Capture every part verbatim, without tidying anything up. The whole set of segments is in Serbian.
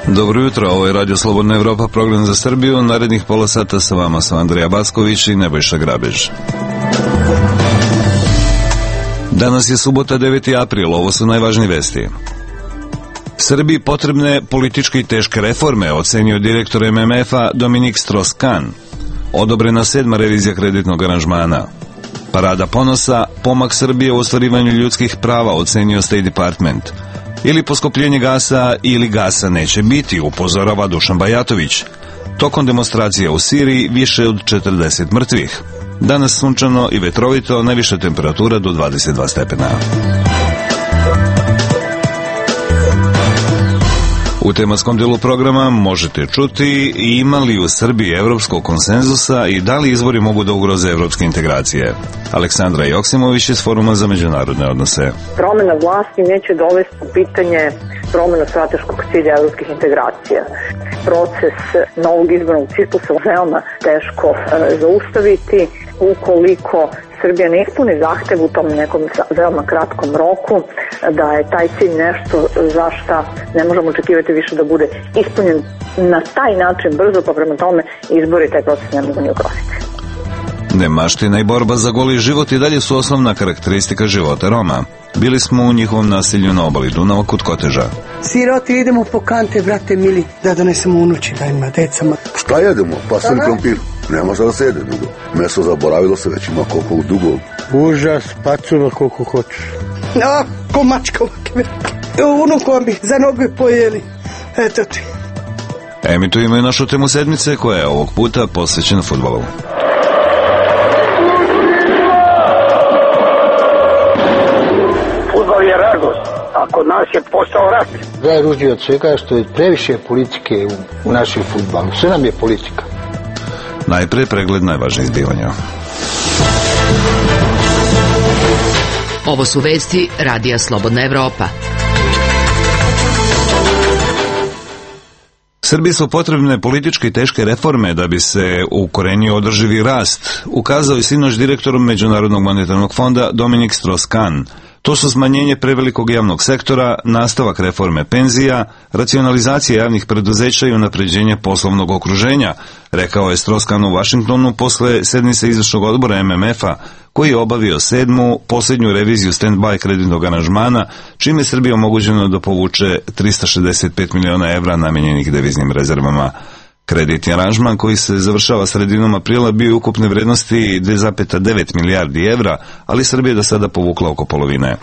Dobro jutro, ovo je Radio Slobodna Evropa, program za Srbiju. Narednih pola sata sa vama su Andrija Basković i Nebojša Grabež. Danas je subota, deveti april, ovo su najvažnije vesti. Srbiji potrebne političke i teške reforme, ocenio direktor M M F-a Dominik Strauss-Kahn. Odobrena sedma revizija kreditnog aranžmana. Parada ponosa, pomak Srbije u ostvarivanju ljudskih prava, ocenio State Department. Ili poskupljenje gasa ili gasa neće biti, upozorava Dušan Bajatović. Tokom demonstracija u Siriji više od četrdeset mrtvih. Danas sunčano i vetrovito, najviša temperatura do dvadeset dva stepena. U tematskom delu programa možete čuti ima li u Srbiji evropskog konsenzusa i da li izbori mogu da ugroze evropske integracije. Aleksandra Joksimović iz Foruma za međunarodne odnose. Promena vlasti neće dovesti u pitanje promenu strateškog cilja evropskih integracija. Proces novog izbornog ciklusa veoma teško e, zaustaviti ukoliko Srbija ne ispuni zahtev u tom nekom veoma kratkom roku, da je taj cilj nešto za šta ne možemo očekivati više da bude ispunjen na taj način brzo, pa prema tome izbori taj proces ne mogu ni ugroziti. Nemaština i borba za goli život i dalje su osnovna karakteristika života Roma. Bili smo u njihovom naselju na obali Dunava kod Koteža. Siroti, idemo po kante, brate mili, da donesemo unuči, da ima decama. Šta jedemo? Pasir krompir. Nema šta da se jede dugo. Meso zaboravilo se, već ima koliko dugo. Užas, pacula koliko hoćeš. No, ko mačka ovakve. Unukom bi za noge pojeli. Eto ti. Emitujemo i našu temu sedmice koja je ovog puta posvećena fudbalu. Fudbal je radost, a kod nas je postao rat. Najružnije od svega je što je previše politike u, u našem fudbalu. Sve nam je politika. Najpre pregled najvažnijih zbivanja. Ovo su vesti Radija Slobodna Evropa. Srbiji su potrebne političke i teške reforme da bi se ukorenio održivi rast, ukazao je sinoć direktor Međunarodnog monetarnog fonda Dominik Strauss-Kahn. To su smanjenje prevelikog javnog sektora, nastavak reforme penzija, racionalizacija javnih preduzeća i unapređenje poslovnog okruženja, rekao je Strauss-Kahn u Vašingtonu posle sednice izvršnog odbora M M F-a, koji je obavio sedmu, posljednju reviziju stand-by kreditnog aranžmana, čime je Srbiji omogućeno da povuče trista šezdeset pet miliona evra namenjenih deviznim rezervama. Kreditni aranžman koji se završava sredinom aprila bio je ukupne vrednosti dve zarez devet milijardi evra, ali Srbija je do sada povukla oko polovine.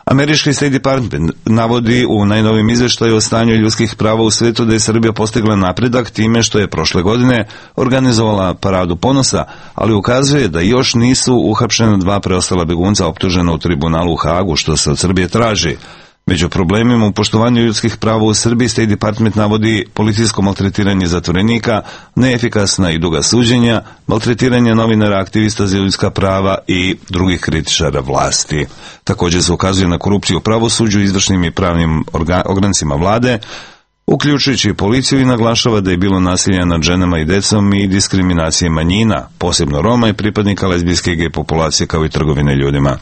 Američki State Department navodi u najnovijem izveštaju o stanju ljudskih prava u svetu da je Srbija postigla napredak time što je prošle godine organizovala paradu ponosa, ali ukazuje da još nisu uhapšena dva preostala begunca optužena u tribunalu u Hagu, što se od Srbije traži. Među problemima u poštovanju ljudskih prava u Srbiji State Department navodi policijsko maltretiranje zatvorenika, neefikasna i duga suđenja, maltretiranje novinara, aktivista za ljudska prava i drugih kritičara vlasti. Također se ukazuje na korupciju u pravosuđu, izvršnim i pravnim ograncima vlade, uključujući policiju, i naglašava da je bilo nasilja nad ženama i decom i diskriminacije manjina, posebno Roma i pripadnika lezbijske i gej populacije, kao i trgovine ljudima.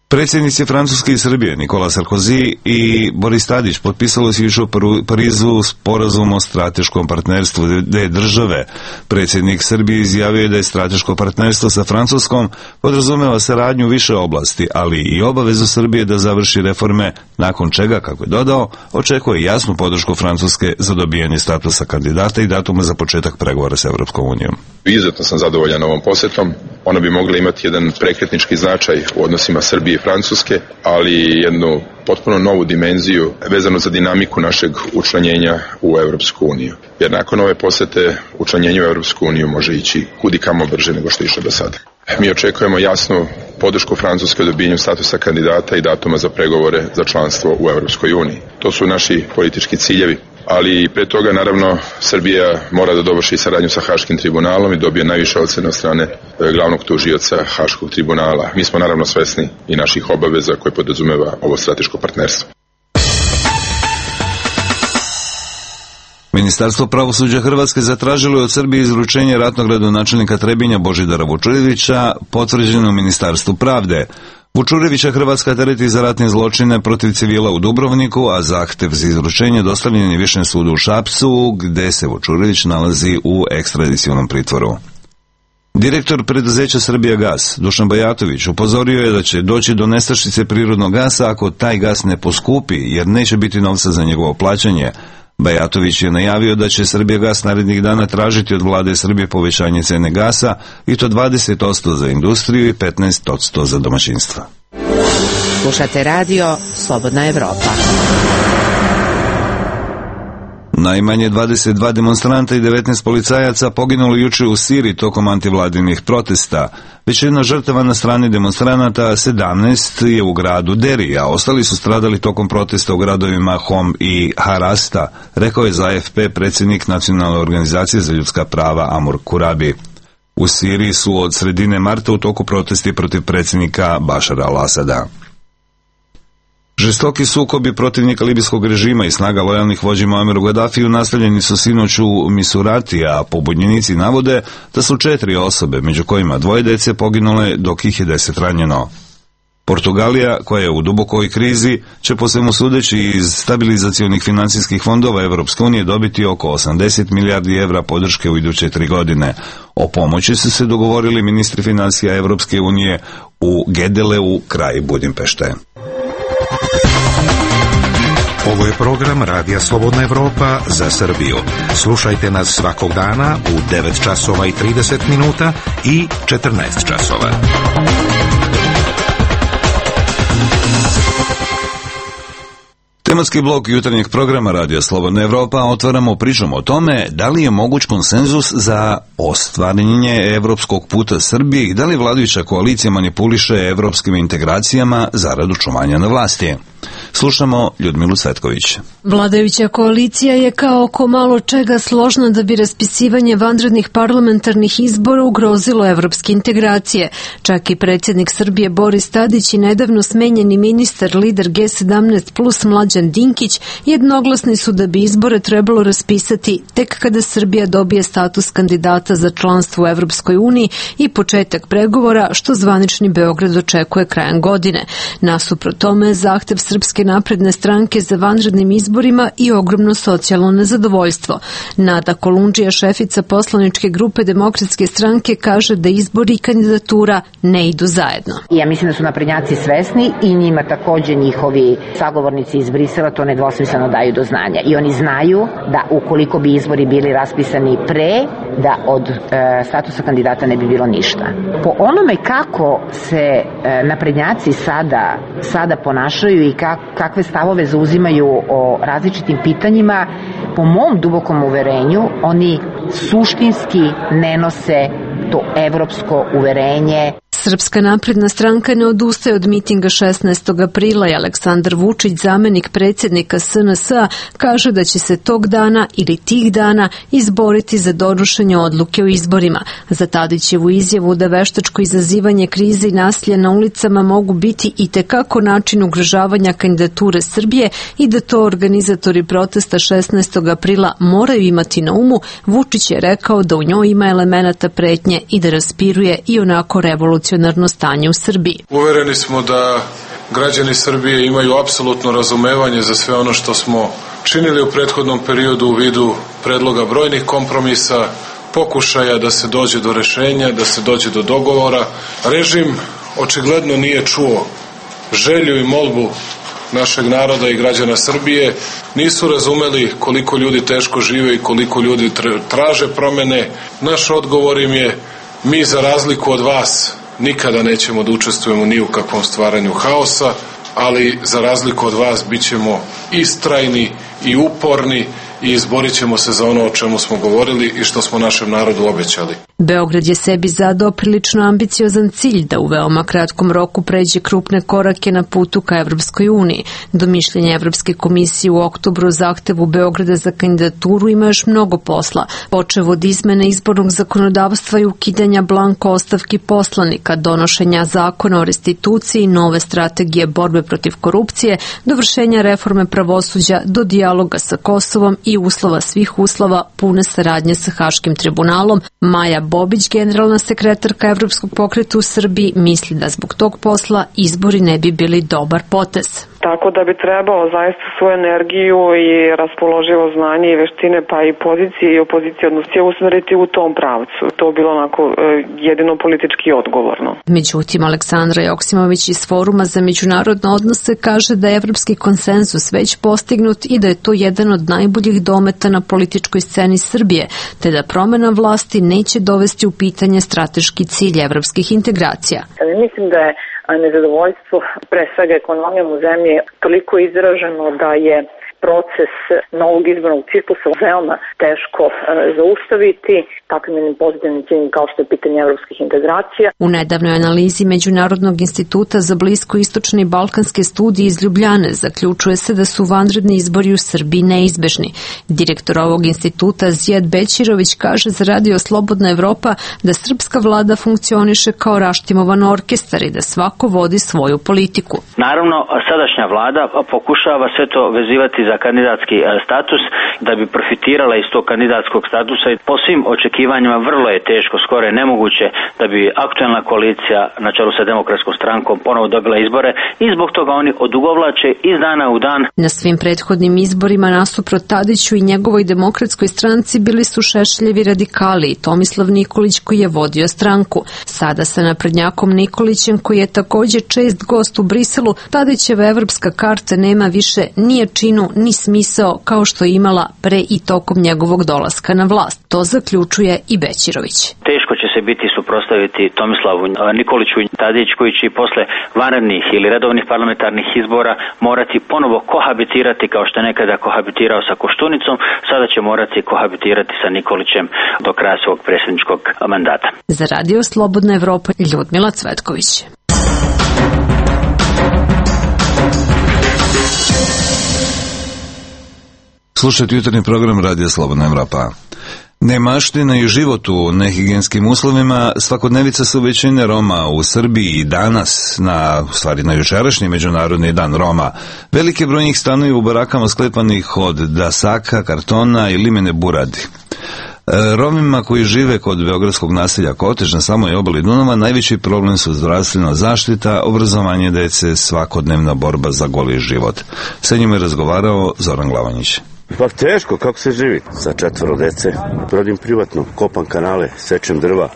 Predsjednici Francuske i Srbije Nikola Sarkozy i Boris Tadić potpisali su jučer u Parizu sporazum o strateškom partnerstvu dve države. Predsjednik Srbije izjavio je da je strateško partnerstvo sa Francuskom podrazumeva saradnju u više oblasti, ali i obavezu Srbije da završi reforme, nakon čega, kako je dodao, očekuje jasnu podršku Francuske za dobijanje statusa kandidata i datuma za početak pregovora s Evropskom unijom. Izuzetno sam zadovoljan ovom posjetom. Ona bi mogla imati jedan prekretnički značaj u odnosima Srbije i Francuske, ali jednu potpuno novu dimenziju vezanu za dinamiku našeg učlanjenja u Evropsku uniju. Jer nakon ove posjete učlanjenje u Evropsku uniju može ići kudikamo brže nego što je išlo do sada. Mi očekujemo jasnu podršku Francuske u dobijanju statusa kandidata i datuma za pregovore za članstvo u Evropskoj uniji. To su naši politički ciljevi. Ali pre toga, naravno, Srbija mora da dovrši saradnju sa Haškim tribunalom i dobije najviše ocene od strane glavnog tužioca Haškog tribunala. Mi smo naravno svesni i naših obaveza koje podrazumeva ovo strateško partnerstvo. Ministarstvo pravosuđa Hrvatske zatražilo je od Srbije izručenje ratnog gradonačelnika Trebinja Božidara Vučurevića, potvrđeno u Ministarstvu pravde. Vučurevića Hrvatska tereti za ratne zločine protiv civila u Dubrovniku, a zahtev za izručenje dostavljen je Višem sudu u Šapcu, gde se Vučurević nalazi u ekstradicionom pritvoru. Direktor preduzeća Srbijagas, Dušan Bajatović, upozorio je da će doći do nestašice prirodnog gasa ako taj gas ne poskupi, jer neće biti novca za njegovo plaćanje. Bajatović je najavio da će Srbijagas narednih dana tražiti od vlade Srbije povećanje cene gasa, i to dvadeset posto za industriju i petnaest posto za domaćinstva. Slušate radio Slobodna Evropa. Najmanje dvadeset dva demonstranta i devetnaest policajaca poginulo juče u Siriji tokom antivladinih protesta. Većina žrtava na strani demonstranata, sedamnaest je u gradu Deri, a ostali su stradali tokom protesta u gradovima Hom i Harasta, rekao je za A F P predsjednik Nacionalne organizacije za ljudska prava Amur Kurabi. U Siriji su od sredine marta u toku protesti protiv predsjednika Bašara al-Asada. Žestoki sukobi protivnika libijskog režima i snaga lojalnih vođi Muammeru Gadafiju nastavljeni su sinoć u Misurati, a pobunjenici navode da su četiri osobe, među kojima dvoje dece, poginule, dok ih je deset ranjeno. Portugalija, koja je u dubokoj krizi, će po svemu sudeći iz stabilizacionih financijskih fondova Evropske unije dobiti oko osamdeset milijardi evra podrške u iduće tri godine. O pomoći su se dogovorili ministri financija Evropske unije u Gedeleu, kraj Budimpešte. Ovo je program Radija Slobodna Evropa za Srbiju. Slušajte nas svakog dana u devet časova i trideset minuta i četrnaest časova. Tematski blok jutarnjeg programa Radija Slobodna Evropa otvaramo pričom o tome da li je moguć konsenzus za ostvarenje evropskog puta Srbije i da li vladajuća koalicija manipuliše evropskim integracijama zarad očuvanja na vlasti. Slušamo Ljudmilu Cvetković. Vladajuća koalicija je kao oko malo čega složna da bi raspisivanje vanrednih parlamentarnih izbora ugrozilo evropske integracije. Čak i predsjednik Srbije Boris Tadić i nedavno smenjeni ministar lider G sedamnaest plus Mlađan Dinkić jednoglasni su da bi izbore trebalo raspisati tek kada Srbija dobije status kandidata za članstvo u Evropskoj uniji i početak pregovora, što zvanični Beograd očekuje krajem godine. Nasuprot tome, zahtev Srpske napredne stranke za vanrednim izborima i ogromno socijalno nezadovoljstvo. Nada Kolundžija, šefica poslaničke grupe Demokratske stranke, kaže da izbori i kandidatura ne idu zajedno. Ja mislim da su naprednjaci svesni i njima takođe njihovi sagovornici iz Brisela to nedvosmisleno daju do znanja. I oni znaju da ukoliko bi izbori bili raspisani pre, da od e, statusa kandidata ne bi bilo ništa. Po onome kako se e, naprednjaci sada, sada ponašaju i kak, kakve stavove zauzimaju o različitim pitanjima, po mom dubokom uverenju, oni suštinski ne nose to evropsko uverenje. Srpska napredna stranka ne odustaje od mitinga šesnaestog aprila i Aleksandar Vučić, zamenik predsjednika S N S-a, kaže da će se tog dana ili tih dana izboriti za donošenje odluke o izborima. Za Tadićevu izjavu da veštačko izazivanje krize i nasilja na ulicama mogu biti i tekako način ugrožavanja kandidature Srbije i da to organizatori protesta šesnaestog aprila moraju imati na umu, Vučić je rekao da u njoj ima elemenata pretnje i da raspiruje i onako revolucionarno stanje u Srbiji. Uvereni smo da građani Srbije imaju apsolutno razumevanje za sve ono što smo činili u prethodnom periodu u vidu predloga brojnih kompromisa, pokušaja da se dođe do rešenja, da se dođe do dogovora. Režim očigledno nije čuo želju i molbu našeg naroda i građana Srbije, nisu razumeli koliko ljudi teško žive i koliko ljudi traže promene. Naš odgovor im je: mi za razliku od vas nikada nećemo da učestvujemo ni u kakvom stvaranju haosa, ali za razliku od vas bit ćemo istrajni i uporni i izborit ćemo se za ono o čemu smo govorili i što smo našem narodu obećali. Beograd je sebi zadao prilično ambiciozan cilj da u veoma kratkom roku pređe krupne korake na putu ka Evropskoj uniji. Do mišljenja Evropske komisije u oktobru zahtevu Beograda za kandidaturu ima još mnogo posla, počev od izmene izbornog zakonodavstva i ukidanja blanko ostavki poslanika, donošenja zakona o restituciji, nove strategije borbe protiv korupcije, dovršenja reforme pravosuđa do dijaloga sa Kosovom i uslova svih uslova pune saradnje sa Haškim tribunalom. Maja Bobić, generalna sekretarka Evropskog pokreta u Srbiji, misli da zbog tog posla izbori ne bi bili dobar potez. Tako da bi trebalo zaista svoju energiju i raspoloživo znanje i veštine, pa i pozicije i opozicije odnosno usmeriti u tom pravcu. To je bilo onako jedino politički odgovorno. Međutim, Aleksandra Joksimović iz Foruma za međunarodne odnose kaže da je evropski konsenzus već postignut i da je to jedan od najboljih dometa na političkoj sceni Srbije, te da promena vlasti neće dovesti u pitanje strateški cilj evropskih integracija. Mislim da je nezadovoljstvo, pre svega ekonomijom u zemlji, toliko izraženo da je proces novog izbornog ciklusa veoma teško e, zaustaviti takvim jednim pozitivnim ciljem kao što je pitanje evropskih integracija. U nedavnoj analizi Međunarodnog instituta za bliskoistočne i balkanske studije iz Ljubljane zaključuje se da su vanredni izbori u Srbiji neizbežni. Direktor ovog instituta Zijad Bećirović kaže za Radio Slobodna Evropa da srpska vlada funkcioniše kao raštimovan orkestar i da svako vodi svoju politiku. Naravno, sadašnja vlada pokušava sve to vezivati za kandidatski status da bi profitirala iz tog kandidatskog statusa i po svim očekivanjima vrlo je teško, skoro je nemoguće da bi aktuelna koalicija na čelu sa Demokratskom strankom ponovo dobila izbore i zbog toga oni odugovlače iz dana u dan. Na svim prethodnim izborima nasuprot Tadiću i njegovoj Demokratskoj stranci bili su Šešeljevi radikali i Tomislav Nikolić koji je vodio stranku. Sada sa naprednjakom Nikolićem koji je takođe čest gost u Briselu, Tadićeva evropska karta nema više ni jačinu ni smisao kao što je imala pre i tokom njegovog dolaska na vlast. To zaključuje i Bećirović. Teško će se biti suprotstaviti Tomislavu Nikoliću i Tadić koji će posle vanrednih ili redovnih parlamentarnih izbora morati ponovo kohabitirati kao što je nekada kohabitirao sa Koštunicom, sada će morati kohabitirati sa Nikolićem do kraja svog predsjedničkog mandata. Za Radio Slobodna Evropa, Ljudmila Cvetković. Slušajte jutarnji program Radija Slobodna Evropa. Nemaština i život u nehigijenskim uslovima svakodnevica su većine Roma u Srbiji i danas, na, u stvari na jučerašnji Međunarodni dan Roma. Veliki broj njih stanuju u barakama sklepanih od dasaka, kartona i limene buradi. Romima koji žive kod beogradskog naselja Kotež na samoj obali Dunava najveći problem su zdravstvena zaštita, obrazovanje dece, svakodnevna borba za goli život. Sa njima je razgovarao Zoran Glavanjić. Pa teško, kako se živi? Sa četvoro dece, rodim privatno, kopam kanale, sečem drva.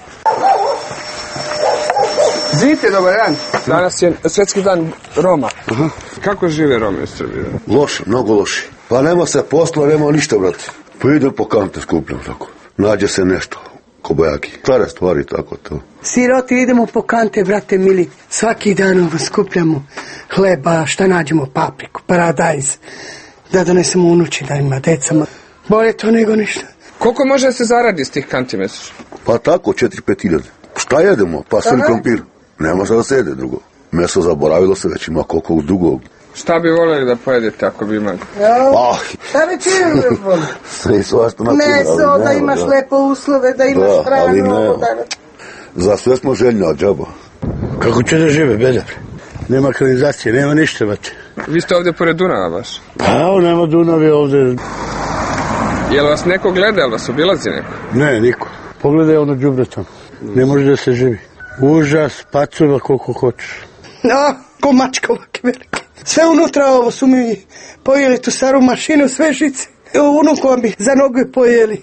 Zite, dobar dan. Danas je svetski dan Roma. Aha. Kako žive Romi u Srbiji? Loše, mnogo loše. Pa nema se posla, nema ništa, brate. Pa idem po kante skupljam tako. Nađe se nešto, kobajaki. Stare stvari, tako to. Siroti idemo po kante, brate mili. Svaki dan skupljamo hleba, šta nađemo, papriku, paradajz. Da donesemo unući, da ima decama. Bolje to nego ništa. Koliko može se zaradi s tih kanti mesečno? Pa tako, četiri pet hiljade. Šta jedemo? Pasulj krompir. Nema šta da se jede drugo. Meso zaboravilo se, već ima koliko dugog. Šta bi voljeli da pojedete ako bi imali? Oh. Šta bi čini da voli? Sve svašta na primjer. Meso, da imaš da. Lepo uslove, da imaš da, hranu. Da. Za sve smo željni od džaba. Kako će da žive, bedar? Nema kanalizacije, nema ništa, vate. Vi ste ovdje pored Dunava baš? Pa evo, nema Dunave ovdje. Jel vas neko gleda, jel vas obilazi neko? Ne, niko. Pogledaj ono đubre tamo. Ne može da se živi. Užas, pacova koliko hoćeš. No, ko mačka ovake velike. Sve unutra ovo su mi pojeli tu staru mašinu, sve žice. Evo unukom bi za noge pojeli.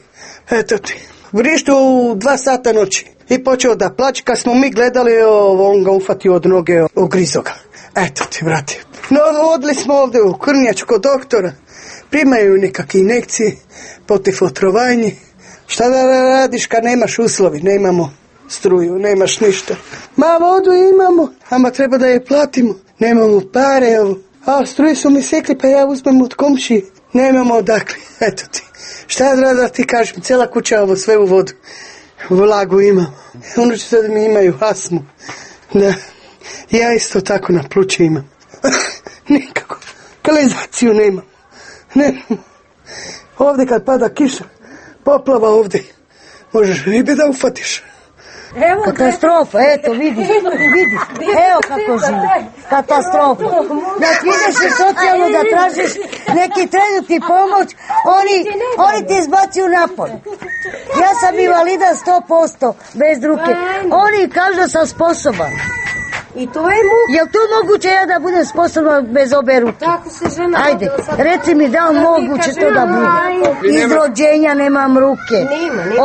Eto ti. Vrištu u dva sata noći. I počeo da plaće, kad smo mi gledali, on ga ufatio od noge, ogrizo ga. Eto ti, brate. No, odli smo ovdje u Krnjaču kod doktora. Primaju nekakve injekcije, protiv otrovanja. Šta da radiš kad nemaš uslovi? Nemamo struju, nemaš ništa. Ma vodu imamo, ama treba da je platimo. Nemamo pare, evo. A struju su mi sekli, pa ja uzmem od komšije. Nemamo odakle, eto ti. Šta da ti kažem, cijela kuća ovo sve u vodu. Vlagu imam. Unučice da mi imaju astmu. Da, ja isto tako na pluće imam. Nikako. Kanalizaciju nemam. Nemam. Ovdje kad pada kiša, poplava ovdje. Možeš ribe da ufatiš. Evo, katastrofa, eto, vidiš, vidiš, evo kako živi, katastrofa. Da ti ideš u socijalnu da tražiš neki trenutni pomoć, oni, oni ti izbacuju napolj. Ja sam invalida sto posto, bez ruke, oni kažu da sam sposoban. I to je mu... Jel to moguće ja da budem sposobna bez obe ruke? Tako se žena... Ajde, reci mi da li moguće to da bude. Iz rođenja nemam ruke.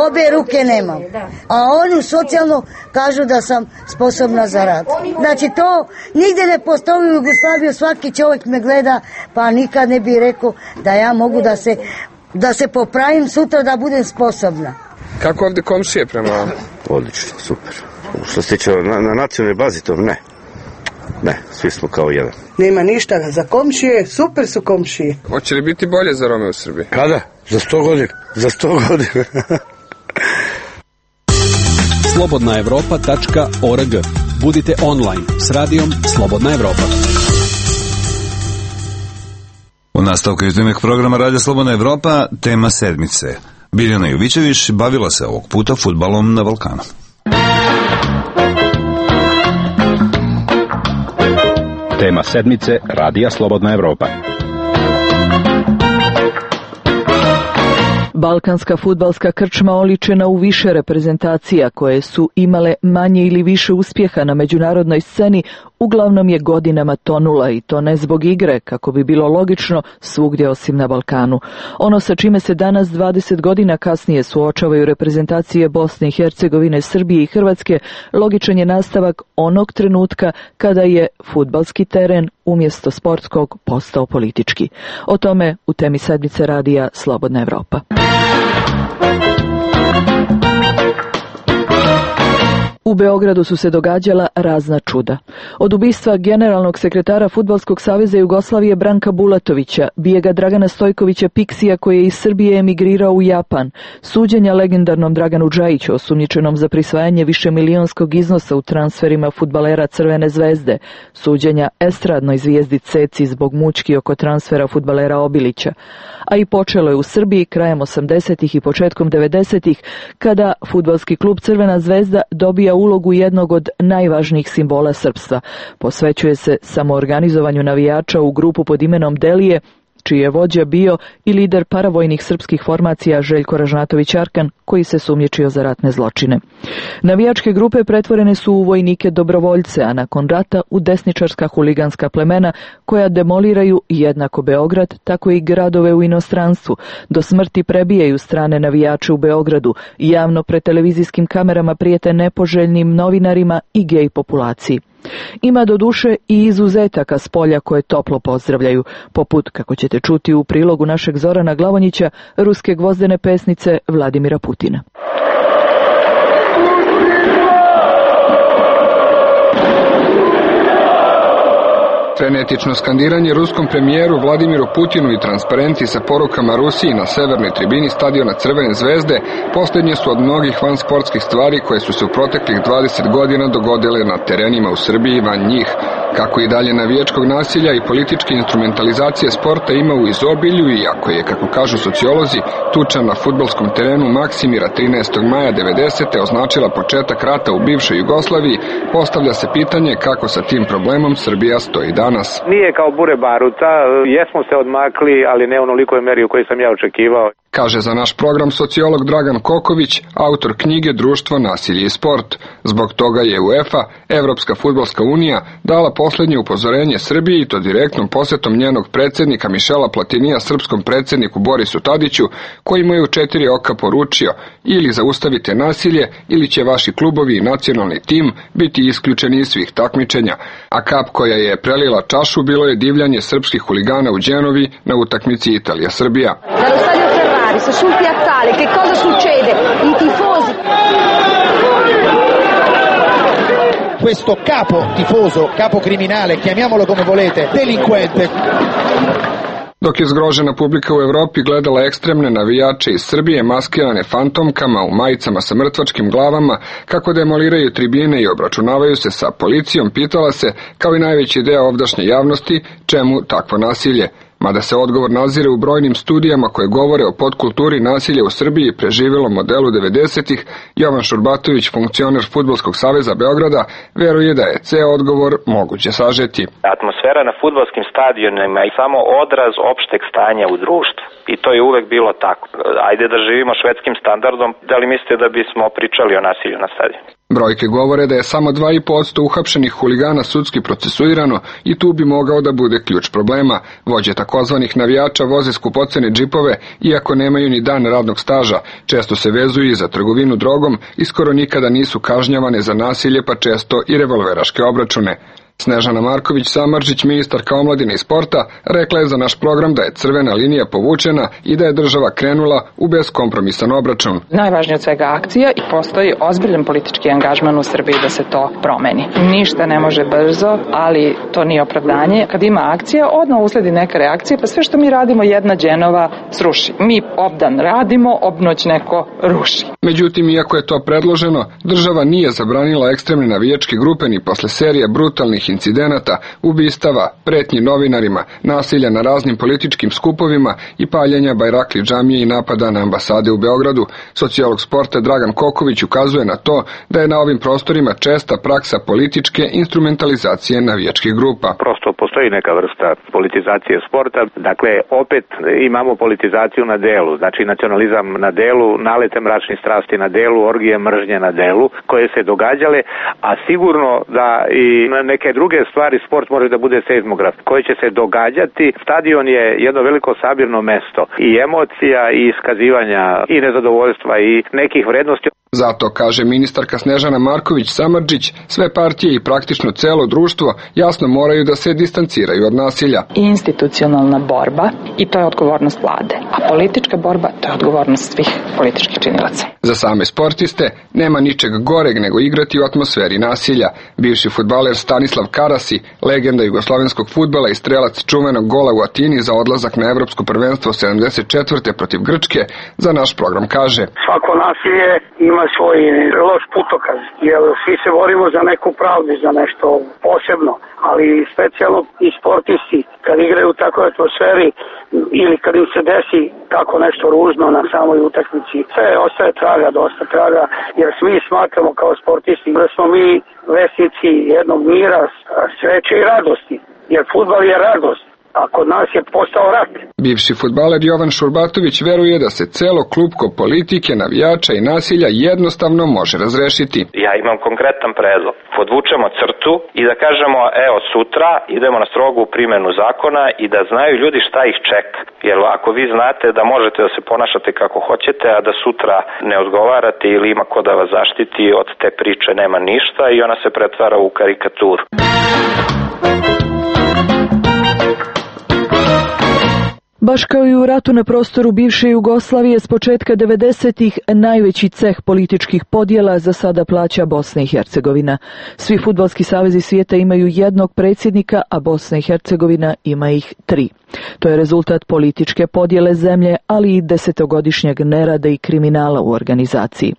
Obe ruke nemam. A oni socijalno kažu da sam sposobna za rad. Znači to nigde ne postoji u Jugoslaviji, svaki čovjek me gleda, pa nikad ne bi rekao da ja mogu da se, da se popravim sutra da budem sposobna. Kako ovdje komšije prema vam? Odlično, super. Što se tiče na, na nacionalnoj bazi, to ne. Ne, svi smo kao jedan. Nema ništa za komšije, super su komšije. Hoće li biti bolje za Rome u Srbiji? Kada? Za sto godina. Za sto godina. slobodna evropa tačka org. Budite online s radijom Slobodna Evropa. U nastavku jutarnjeg programa Radija Slobodna Evropa, tema sedmice. Biljana Jovićević bavila se ovog puta fudbalom na Balkanu. Tema sedmice Radija Slobodna Evropa. Balkanska fudbalska krčma oličena u više reprezentacija koje su imale manje ili više uspjeha na međunarodnoj sceni, uglavnom je godinama tonula i to ne zbog igre, kako bi bilo logično svugdje osim na Balkanu. Ono sa čime se danas dvadeset godina kasnije suočavaju reprezentacije Bosne i Hercegovine, Srbije i Hrvatske, logičan je nastavak onog trenutka kada je fudbalski teren umjesto sportskog postao politički. O tome u temi sedmice radija Slobodna Evropa. U Beogradu su se događala razna čuda. Od ubistva generalnog sekretara Fudbalskog saveza Jugoslavije Branka Bulatovića, bijega Dragana Stojkovića Piksija koji je iz Srbije emigrirao u Japan, suđenja legendarnom Draganu Džajiću osumnjičenom za prisvajanje višemilijonskog iznosa u transferima fudbalera Crvene zvezde, suđenja estradnoj zvijezdi Ceci zbog mučki oko transfera fudbalera Obilića. A i počelo je u Srbiji krajem osamdesetih i početkom devedesetih kada fudbalski klub Crvena zvezda dobija ulogu jednog od najvažnijih simbola srpstva. Posvećuje se samoorganizovanju navijača u grupu pod imenom Delije, čiji je vođa bio i lider paravojnih srpskih formacija Željko Ražnatović Arkan, koji se sumnjičio za ratne zločine. Navijačke grupe pretvorene su u vojnike dobrovoljce, a nakon rata u desničarska huliganska plemena koja demoliraju jednako Beograd, tako i gradove u inostranstvu, do smrti prebijaju strane navijače u Beogradu i javno pred televizijskim kamerama prijete nepoželjnim novinarima i gej populaciji. Ima doduše i izuzetaka s polja koje toplo pozdravljaju, poput, kako ćete čuti u prilogu našeg Zorana Glavonjića, ruske gvozdene pesnice Vladimira Putina. Frenetično skandiranje ruskom premijeru Vladimiru Putinu i transparenti sa porukama Rusiji na severnoj tribini stadiona Crvene zvezde posljednje su od mnogih vansportskih stvari koje su se u proteklih dvadeset godina dogodile na terenima u Srbiji i van njih. Kako i dalje navijačkog nasilja i političke instrumentalizacije sporta ima u izobilju i ako je, kako kažu sociolozi, tuča na fudbalskom terenu Maksimira trinaestog maja devedesete označila početak rata u bivšoj Jugoslaviji, postavlja se pitanje kako sa tim problemom Srbija stoji danas. Nije kao bure baruta, jesmo se odmakli, ali ne u onolikoj meri u kojoj sam ja očekivao. Kaže za naš program sociolog Dragan Koković, autor knjige Društvo, nasilje i sport. Zbog toga je UEFA, Evropska fudbalska unija, dala posljednje upozorenje Srbiji i to direktnom posjetom njenog predsjednika Mišela Platinija srpskom predsjedniku Borisu Tadiću, koji mu je u četiri oka poručio: ili zaustavite nasilje, ili će vaši klubovi i nacionalni tim biti isključeni iz svih takmičenja. A kap koja je prelila čašu bilo je divljanje srpskih huligana u Đenovi na utakmici Italija-Srbija. Sul piazzale, che cosa succede? I tifosi. Questo capo tifoso, capo criminale, chiamiamolo come volete, delinquente. Dok je zgrožena publika u Evropi gledala ekstremne navijače iz Srbije maskirane fantomkama u majicama sa mrtvačkim glavama kako demoliraju tribine i obračunavaju se sa policijom, pitala se, kao i najveći deo ovdašnje javnosti, čemu takvo nasilje. Mada se odgovor nazire u brojnim studijama koje govore o podkulturi nasilja u Srbiji i preživjelom modelu devedesetih, Jovan Šurbatović, funkcioner Fudbalskog saveza Beograda, veruje da je ceo odgovor moguće sažeti. Atmosfera na fudbalskim stadionima je samo odraz opšteg stanja u društvu. I to je uvek bilo tako. Ajde da živimo švedskim standardom, da li mislite da bismo pričali o nasilju na stadionu? Brojke govore da je samo dva i po posto uhapšenih huligana sudski procesuirano i tu bi mogao da bude ključ problema. Vođe takozvanih navijača voze skupocene džipove, iako nemaju ni dan radnog staža, često se vezuju i za trgovinu drogom i skoro nikada nisu kažnjavane za nasilje, pa često i revolveraške obračune. Snežana Marković Samardžić, ministarka omladine i sporta, rekla je za naš program da je crvena linija povučena i da je država krenula u beskompromisan obračun. Najvažnije od svega akcija i postoji ozbiljan politički angažman u Srbiji da se to promeni. Ništa ne može brzo, ali to nije opravdanje. Kad ima akcija, odmah usledi neka reakcija, pa sve što mi radimo jedna dženova sruši. Mi obdan radimo, obnoć neko ruši. Međutim, iako je to predloženo, država nije zabranila ekstremne navijačke grupe ni posle serije brutalnih incidenata, ubistava, pretnji novinarima, nasilja na raznim političkim skupovima i paljenja bajrakli džamije i napada na ambasade u Beogradu. Sociolog sporta Dragan Koković ukazuje na to da je na ovim prostorima česta praksa političke instrumentalizacije navijačkih grupa. Prosto postoji neka vrsta politizacije sporta, dakle opet imamo politizaciju na delu, znači nacionalizam na delu, nalete mračnih strasti na delu, orgije mržnje na delu koje se događale, a sigurno da i neke druge stvari sport može da bude seizmograf koji će se događati. Stadion je jedno veliko sabirno mesto i emocija i iskazivanja i nezadovoljstva i nekih vrednosti. Zato, kaže ministarka Snežana Marković Samardžić, sve partije i praktično celo društvo jasno moraju da se distanciraju od nasilja. Institucionalna borba i to je odgovornost vlade, a politička borba to je odgovornost svih političkih činilaca. Za same sportiste nema ničeg goreg nego igrati u atmosferi nasilja. Bivši fudbaler Stanislav Karasi, legenda jugoslovenskog fudbala i strelac čuvenog gola u Atini za odlazak na evropsko prvenstvo sedamdeset četvrte protiv Grčke, za naš program kaže: Svako nasilje ima svoj loš putokaz, jer svi se borimo za neku pravdu, za nešto posebno, ali specijalno i sportisti kad igraju u takvoj atmosferi ili kad im se desi tako nešto ružno na samoj utakmici, sve ostaje traga, dosta traga, jer svi smatramo kao sportisti da smo mi vesnici jednog mira, sreće i radosti, jer fudbal je radost. A kod nas je postao rat. Bivši fudbaler Jovan Šurbatović veruje da se celo klupko politike, navijača i nasilja jednostavno može razrešiti. Ja imam konkretan predlog. Podvučemo crtu i da kažemo, evo sutra idemo na strogu primjenu zakona i da znaju ljudi šta ih čeka. Jer ako vi znate da možete da se ponašate kako hoćete, a da sutra ne odgovarate ili ima ko da vas zaštiti, od te priče nema ništa i ona se pretvara u karikaturu. Baš kao i u ratu na prostoru bivše Jugoslavije, s početka devedesetih najveći ceh političkih podjela za sada plaća Bosna i Hercegovina. Svi fudbalski savezi svijeta imaju jednog predsjednika, a Bosna i Hercegovina ima ih tri. To je rezultat političke podjele zemlje, ali i desetogodišnjeg nerada i kriminala u organizaciji.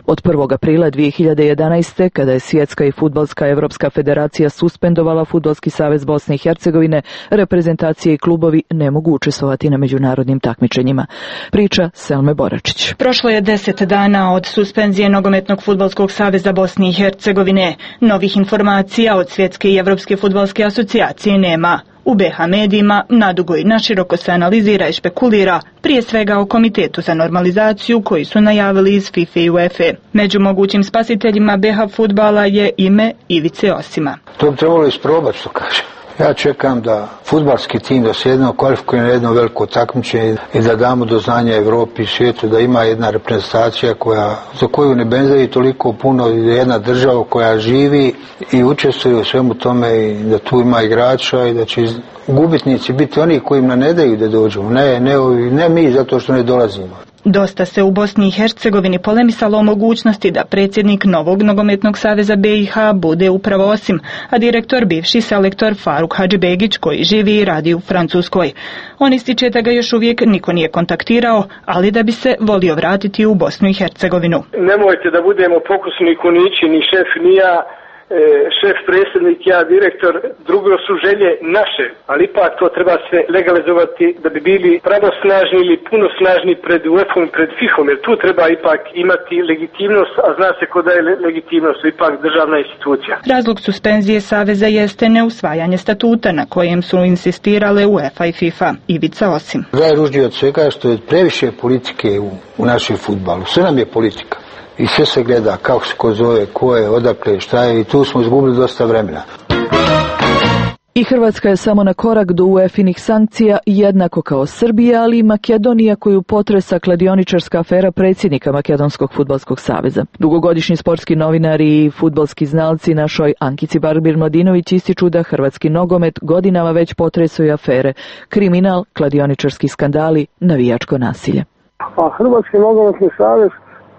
Od prvog aprila dvije hiljade jedanaeste. kada je Svjetska i fudbalska Evropska federacija suspendovala Fudbalski savez Bosne i Hercegovine, reprezentacije i klubovi ne mogu učestvovati na međunarodnim takmičenjima. Priča Selme Boračić. Prošlo je deset dana od suspenzije Nogometnog fudbalskog saveza Bosne i Hercegovine. Novih informacija od Svjetske i Evropske fudbalske asocijacije nema. U be ha medijima nadugo i naširoko se analizira i špekulira, prije svega o Komitetu za normalizaciju koji su najavili iz FIFA i UEFA. Među mogućim spasiteljima be ha fudbala je ime Ivice Osima. To bi trebalo isprobati, što kaže. Ja čekam da fudbalski tim da se jedno kvalifikuje na jedno veliko takmičenje i da damo do znanja Evropi i svijetu da ima jedna reprezentacija koja, za koju ne benzavi toliko puno, jedna država koja živi i učestvuje u svemu tome i da tu ima igrača i da će gubitnici biti oni koji im ne daju da dođemo, ne, ne, ne mi zato što ne dolazimo. Dosta se u Bosni i Hercegovini polemisalo o mogućnosti da predsjednik novog nogometnog saveza B i H bude upravo Osim, a direktor bivši selektor Faruk Hadžibegić koji živi i radi u Francuskoj. On ističe da ga još uvijek niko nije kontaktirao, ali da bi se volio vratiti u Bosnu i Hercegovinu. Nemojte da budemo pokusni kunići, ni šef, ni ja, šef, predsjednik, ja, direktor, drugo su želje naše, ali ipak to treba se legalizovati da bi bili pravosnažni ili puno snažni pred U E F-om i pred FIFA-om, jer tu treba ipak imati legitimnost, a zna se ko da je legitimnost, ipak državna institucija. Razlog suspenzije Saveza jeste neusvajanje statuta na kojem su insistirale UEFA i FIFA. Ivica Osim. Najružnije od svega je što je previše politike u, u našem fudbalu. Sve nam je politika. I sve se gleda kako se ko zove, ko je, odakle, šta je, i tu smo izgubili dosta vremena. I Hrvatska je samo na korak do U E F-inih sankcija, jednako kao Srbija, ali i Makedonija koju potresa kladioničarska afera predsjednika Makedonskog fudbalskog saveza. Dugogodišnji sportski novinari i fudbalski znalci našoj Ankici Barbir-Mladinović ističu da hrvatski nogomet godinama već potresaju afere, kriminal, kladioničarski skandali, navijačko nasilje. A Hrvatski nogometni savez,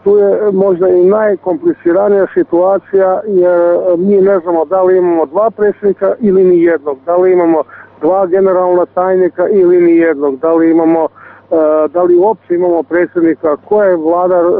tu je možda i najkompliciranija situacija, jer mi ne znamo da li imamo dva predsjednika ili ni jednog, da li imamo dva generalna tajnika ili ni jednog, da li imamo da li uopće imamo predsjednika, ko je vladar uh,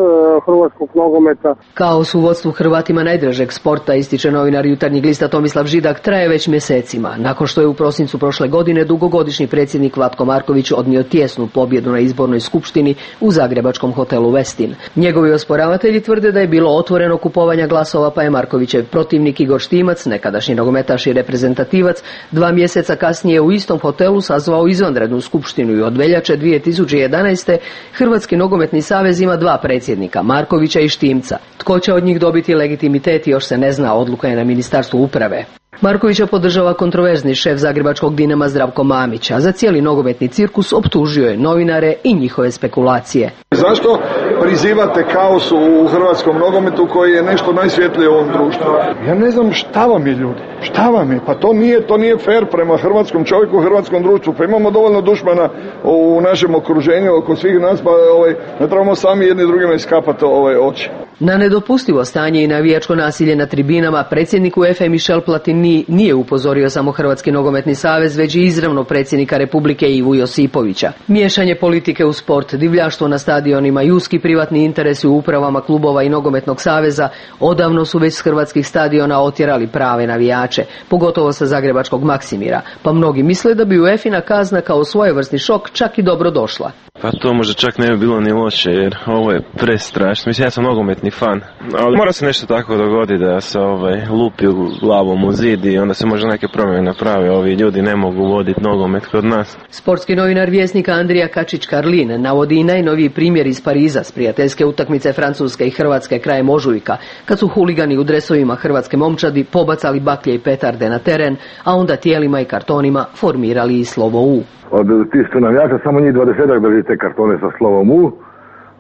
hrvatskog nogometa. Kaos u vodstvu Hrvatima najdražeg sporta, ističe novinar Jutarnjeg lista Tomislav Židak, traje već mjesecima. Nakon što je u prosincu prošle godine dugogodišnji predsjednik Vlatko Marković odnio tjesnu pobjedu na izbornoj skupštini u zagrebačkom hotelu Westin. Njegovi osporavatelji tvrde da je bilo otvoreno kupovanja glasova, pa je Markovićev protivnik Igor Štimac, nekadašnji nogometaš i reprezentativac, dva mjeseca kasnije u istom hotelu sazvao izvanrednu skupštinu i od veljače dvije tisuće jedanaeste. Hrvatski nogometni savez ima dva predsjednika, Markovića i Štimca. Tko će od njih dobiti legitimitet još se ne zna, odluka je na Ministarstvu uprave. Markovića podržava kontroverzni šef zagrebačkog Dinama Zdravko Mamić, a za cijeli nogometni cirkus optužio je novinare i njihove spekulacije. Zašto prizivate kaos u hrvatskom nogometu koji je nešto najsvjetlije u ovom društvu? Ja ne znam šta vam je, ljudi. Šta vam je? Pa to nije, to nije fair prema hrvatskom čovjeku, hrvatskom društvu. Pa imamo dovoljno dušmana u našem okruženju, oko svih nas, pa ovaj, ne trebamo sami jedni drugima iskapati ovaj, oči. Na nedopustivo stanje i navijačko nasilje na tribinama predsjednik U E F A Michel Platini nije upozorio samo Hrvatski nogometni savez, već i izravno predsjednika Republike Ivu Josipovića. Miješanje politike u sport, divljaštvo na stadionima i uski privatni interesi u upravama klubova i nogometnog saveza odavno su već s hrvatskih stadiona otjerali prave navijače, pogotovo sa zagrebačkog Maksimira, pa mnogi misle da bi UEFA-ina kazna kao svojevrsni šok čak i dobro došla. Pa to možda čak ne bi bilo ni loše, jer ovo je prestrašno. Mislim, ja sam nogometni fan, ali mora se nešto tako dogoditi da se ovaj, lupi u glavom u zid i onda se možda neke promjene naprave. Ovi ljudi ne mogu voditi nogomet kod nas. Sportski novinar Vjesnika Andrija Kačić-Karlin navodi i najnoviji primjer iz Pariza s prijateljske utakmice Francuske i Hrvatske krajem ožujka, kad su huligani u dresovima hrvatske momčadi pobacali baklje i petarde na teren, a onda tijelima i kartonima formirali i slovo U. Od tih sto navijača samo njih dvadesetak drži te kartone sa slovom U,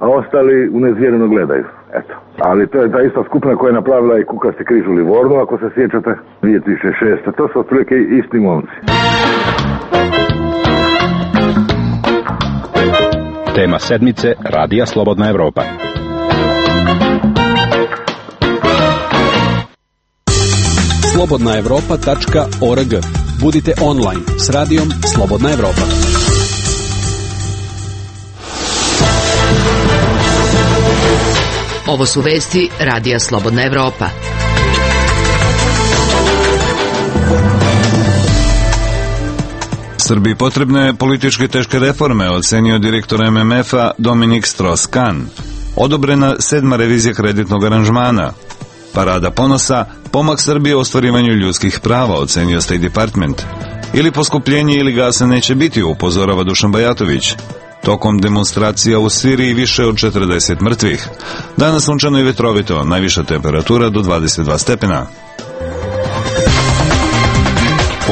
a ostali unezvjereno gledaju. Eto. Ali to je ta ista skupina koja je napravila i Kukasti križ u Livornu, ako se sjećate, dvije tisuće šeste. To su otprilike isti momci. Tema sedmice Radija Slobodna Evropa. slobodna evropa tačka org. Budite online s radijom Slobodna Evropa. Ovo su vesti Radija Slobodna Evropa. Srbiji potrebne političke teške reforme, ocenio direktor M M F-a Dominik Strauss-Kahn. Odobrena sedma revizija kreditnog aranžmana. Parada ponosa, pomak Srbije u ostvarivanju ljudskih prava, ocenio State Department. Ili poskupljenje ili gasa neće biti, upozorava Dušan Bajatović. Tokom demonstracija u Siriji više od četrdeset mrtvih. Danas sunčano i vetrovito, najviša temperatura do dvadeset dva stepena.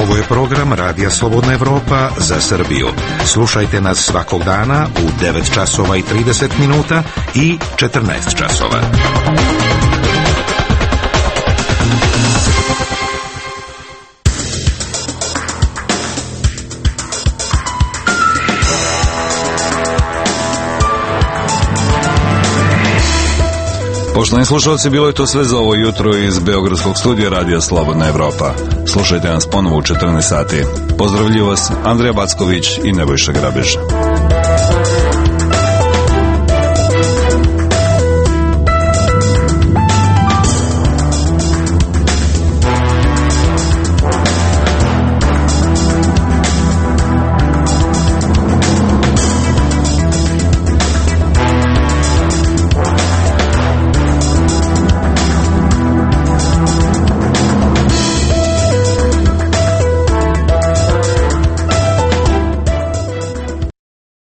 Ovo je program Radija Slobodna Evropa za Srbiju. Slušajte nas svakog dana u devet časova i trideset minuta i četrnaest časova. Poštovani slušalci, bilo je to sve za ovo jutro iz Beogradskog studija Radija Slobodna Evropa. Slušajte nas ponovo u četrnaest sati. Pozdravljuju vas Andrija Backović i Nebojša Grabež.